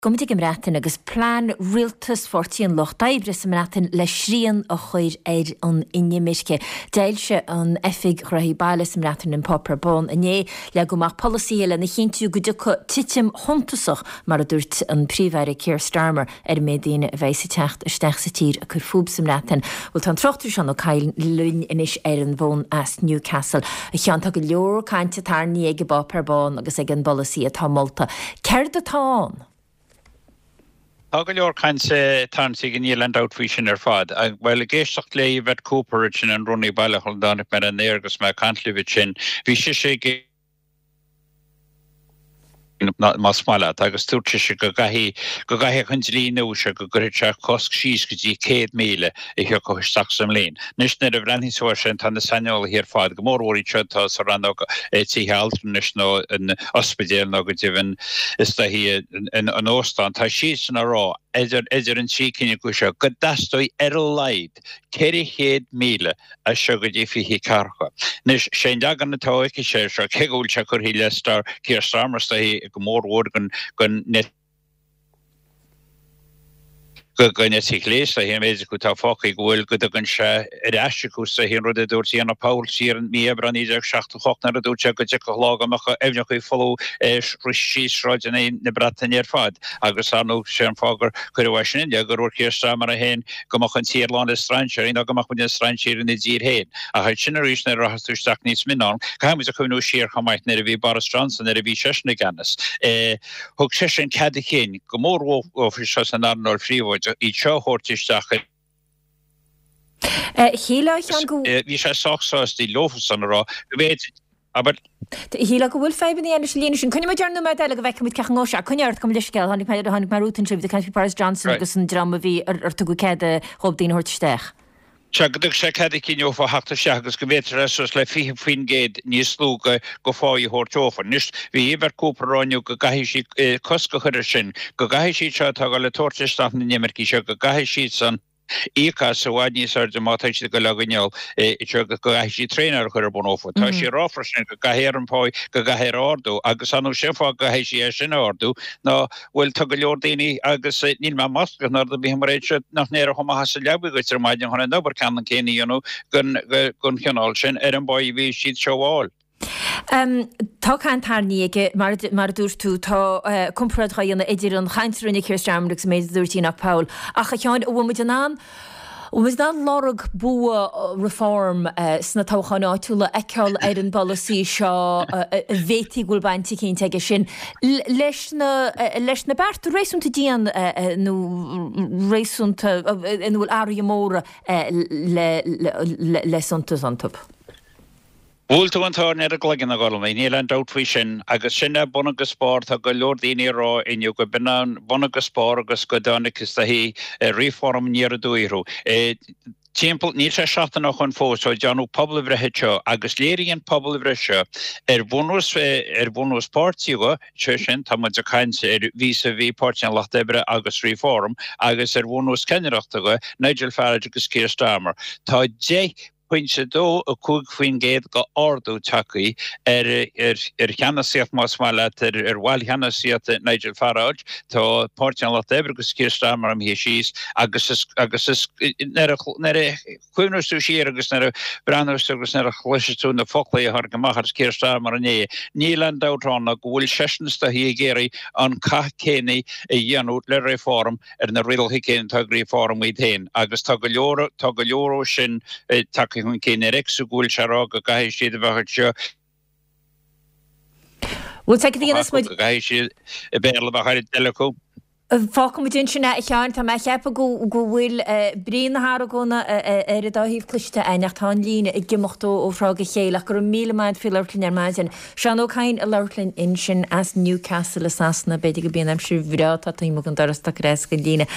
Gabhfaidh muid ag an mBreatain agus plean rialtas Pháirtí an Lucht Oibre sa mBreatain le srian a chur ar an inimirce. D'fhoilsigh an Oifig Gnóthaí Baile sa mBreatain an Páipéar Bán inné. Leagadh amach polasaithe lena chinntiú go dtiocfaidh titim shuntasach, mar a dúirt an Príomh-Aire Keir Starmer, ar an méid daoine a bheidh ag teacht isteach sa tír ag cur fúthu sa mBreatain. Bhuel, tá an tráchtaire Seán Ó Cadhain linn anois ar an bhfón as Newcastle. A Sheáin, tá go leor cainte tarraingthe ag an bPáipéar Bán agus ag an bpolasaí atá molta. Céard atá ann? Tá go leor cainte tarraingthe aige, níl aon dabht faoi sin ar fad. Bhuel, ag éisteacht le Yvette Cooper ansin, an Rúnaí Baile, sula dtáinig mé ar an aer agus mé ag caint libh ansin, bhí sise ag, más maith leat, agus dúirt sise go gcaithfidh, go gcaithfeadh an dlí nua seo, go gcuirfeadh sé cosc síos go dtí 100,000 a thiocfadh isteach sa mbliain. Anois, nuair a bhreathnaíonn tú air sin, tá na saineolaithe ar fad, go mór mhór iad seo atá sa rannóg tithe altranais nó an ospidéal nó go deimhin is dóichí an óstán, tá siadsan á rá, idir, idir an trí cinn acu seo, go dteastóidh ar a laghad 400,000 as seo go dtí 24. Anois, sé an leagan atá aici air seo, cé go bhfuil sé curtha i leith Star, Keir Starmer is dóichí go mór mhór den, den den eite chlé is dóichí an méid acu atá fágtha go bhfuil, go dtugann sé ar ais acu is dóichí an rud a dúirt Enoch Powell siar in mí Aibreáin 1978 nuair a dúirt sé go dtiocfadh lá go mbeadh aibhneacha folamh síos sráideanna na Breataine ar fad agus ar ndóigh sé an fáth gur cuireadh é sin i leith gur dhúirt Keir Starmer é féin go mbeadh an tír lán le strainséirí nó go mbeadh muid ina strainséirí ina dtír féin. Ach ansin arís nuair a rachas tú isteach níos mine ann, caithfidh muid a chuimhniú siar chomh maith nuair a bhí Boris Johnson, nuair a bhí seisean i gceannas, thug seisean cead a chinn, go mór mhór seo san earnáil phríobháideach, iad seo a thabhairt isteach i. Shílfeá, a Sheáin, go. Bhí sé sách sásta leofasan a rá go bhféadfaí, abair. Shílfeá go bhfuil fadhbanna leis an líne sin. Coinneoidh muid air nóiméad eile go bhfeicfidh muid cén chaoi a ngabhfaidh sé. Coinnigh ort, gabh mo leithscéal. Tháinig mé, tháinig mé romhat ansin, bhí tú ag caint faoi Boris Johnson agus an dream a bhí, ar, ar tugadh cead dhóibh daoine a thabhairt isteach. Sea, go dtug sé cead a chinn dófa theacht isteach agus go bhféadfadh sé suas le 20% níos lú de pháí a thabhairt dófa. Anois, bhí Yvette Cooper ag rá inniu go gcaithfidh sí cosc a chur air sin, go gcaithfidh siad seo atá ag dul ag tabhairt isteach na n-imircigh seo, go gcaithfidh siadsan íoc as i bhfad níos airde má tá siad ag dul á gcoinneáil anseo agus go gcaithfidh siad traenáil a chur ar bun dófa. Tá sí ag rá freisin go gcaithfear an pá, go gcaithfear a ardú agus ar ndóigh sé an fáth go gcaithfidh sí é sin a ardú ná bhuel tá go leor daoine agus níl mé maslach ná rud ar bith mar é seo nach n-éireodh amach as an leabaidh dhuit ar maidin chun an obair ceannann céanna a dhéanamh den chineál sin ar an bpáí a bhí siad seo a fháil. Tá caint tarraingthe aige, mar a dúirt tú, tá comparáid á dhéanamh idir an chaint a rinne Keir Starmer agus an méid a dúirt Enoch Powell. Ach, a Sheáin, an bhfuil muid in ann, an bhfuil muid in ann lorg bua Reform sna toghcháin áitiúla a fheiceáil ar an bpolasaí seo a bhféadfaí go bhfuil baint eicínt aige sin leis na, leis na bearta réasúnta dian nó réasúnta ina bhfuil athruithe móra le, le, le suntas iontu? Bhuail tú an tairne ar an gcloigeann, a Ghormlaith, níl aon dabht faoi sin, agus sin é bun agus barr, tá go leor daoine ag rá inniu go b'in an bun agus barr agus go dtáinig is dóichí Reform aniar aduaidh orthu. Timpeall, níl sé seachtain ó shoin fós ó déanadh pobalbhreith anseo agus léirigh an pobalbhreith seo ar bhunús, ar bhunús páirtí dhe, sé sin, tá muid ag caint ar vis-a-vis Páirtí an Lucht Oibre agus Reform, agus ar bhunús ceannaireachta dhe, Nigel Farage agus Keir Starmer. Tá 10 pointe 2, 5% de ardú tagtha ar ar cheannasaíocht, más maith leat, ar bhaill cheannasaíochta Nigel Farage. Tá Páirtí an Lucht Oibre agus Keir Starmer imithe síos agus is agus is nuair a nuair a chuimhneos tú siar agus nuair a bhreathnós tú agus nuair a chloiseas tú na foclaí a tháinig amach as Keir Starmer inné, níl aon dabht ann ná go bhfuil seisean is dóichí ag iarraidh an cath céanna a dhéanamh le Reform ar na rialacha céanna atá ag Reform iad féin agus tá go leor, tá go leor ó sin tagtha chun cinn ar X go bhfuil sé ag rá go gcaithfidh siad a bheith anseo. Bhuel, feicfidh muid. Go gcaithfidh siad Béarla a bheith ar a dtoil acu. Fágfaidh muid ansin é, a Sheáin. Tá mé ag ceapadh go go bhfuil brí na hargóna ar an dá thaobh cloiste againn ach tá an líne ag imeacht ó thráth go chéile ach go raibh míle maith agat faoi labhairt linn ar maidin. Seán Ó Cadhain ag labhairt linn ansin as Newcastle i Sasana. B'fhéidir gurb í an aimsir bhreá atá taobh amuigh den doras atá ag cur as don líne.